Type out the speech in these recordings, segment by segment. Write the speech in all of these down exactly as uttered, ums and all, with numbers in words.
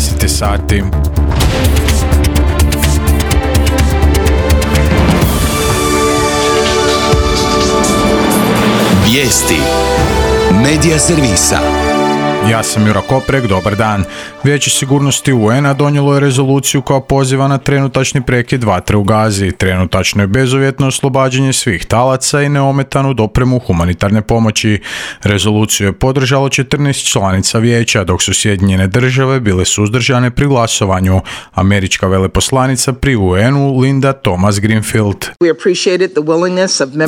deset sati. Vijesti Medija servisa. Ja sam Jura Koprek, dobar dan. Vijeće sigurnosti U N-a donijelo je rezoluciju koja poziva na trenutačni prekid vatre u Gazi, trenutačno je bezuvjetno oslobađanje svih talaca i neometanu dopremu humanitarne pomoći. Rezoluciju je podržalo četrnaest članica vijeća, dok su Sjedinjene države bile suzdržane pri glasovanju. Američka veleposlanica pri U N-u Linda Thomas-Greenfield.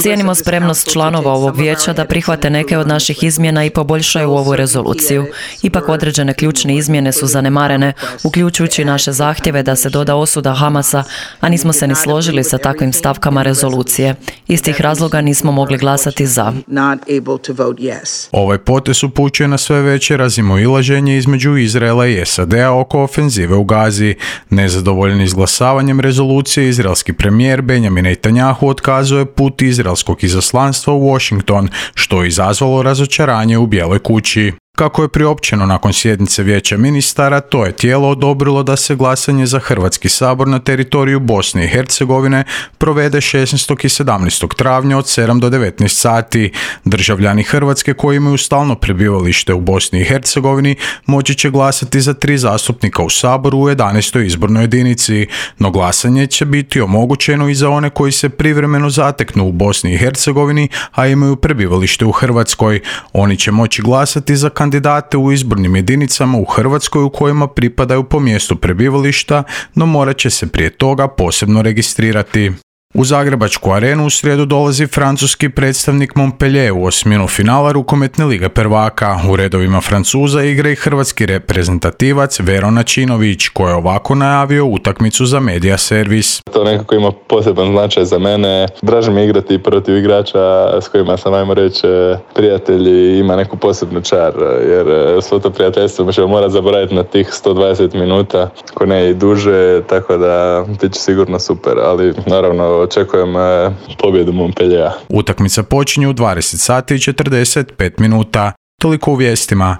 Cijenimo spremnost članova ovog vijeća da prihvate neke od naših izmjena i poboljšaju ovu rezoluciju. Ipak određene ključne izmjene su zanemarene, uključujući naše zahtjeve da se doda osuda Hamasa, a nismo se ni složili sa takvim stavkama rezolucije. Iz tih razloga nismo mogli glasati za. Ovaj potez upućuje na sve veće razmimoilaženje između Izraela i S A D-a oko ofenzive u Gazi. Nezadovoljni izglasavanjem rezolucije, izraelski premijer Benjamin Netanjahu otkazuje put izraelskog izaslanstva u Washington, što je izazvalo razočaranje u Bijeloj kući. Kako je priopćeno nakon sjednice Vijeća ministara, to je tijelo odobrilo da se glasanje za Hrvatski sabor na teritoriju Bosne i Hercegovine provede šesnaestog i sedamnaestog travnja od sedam do devetnaest sati. Državljani Hrvatske koji imaju stalno prebivalište u Bosni i Hercegovini moći će glasati za tri zastupnika u saboru u jedanaestoj izbornoj jedinici, no glasanje će biti omogućeno i za one koji se privremeno zateknu u Bosni i Hercegovini, a imaju prebivalište u Hrvatskoj. Oni će moći glasati za kandidate u izbornim jedinicama u Hrvatskoj u kojima pripadaju po mjestu prebivališta, no morat će se prije toga posebno registrirati. U Zagrebačku arenu u srijedu dolazi francuski predstavnik Montpellier u osminu finala rukometne lige prvaka. U redovima Francuza igra i hrvatski reprezentativac Vero Načinović, koji je ovako najavio utakmicu za Medija servis. To nekako ima poseban značaj za mene. Draže mi igrati protiv igrača s kojima sam, ajmo reći, prijatelji, ima neku posebnu čar, jer svo to prijateljstvo ćemo morati zaboraviti na tih sto dvadeset minuta, ako ne i duže, tako da bit će sigurno super, ali naravno očekujem pobjedu Montpelliera. Utakmica počinje u dvadeset sati i četrdeset pet minuta. Toliko u vijestima.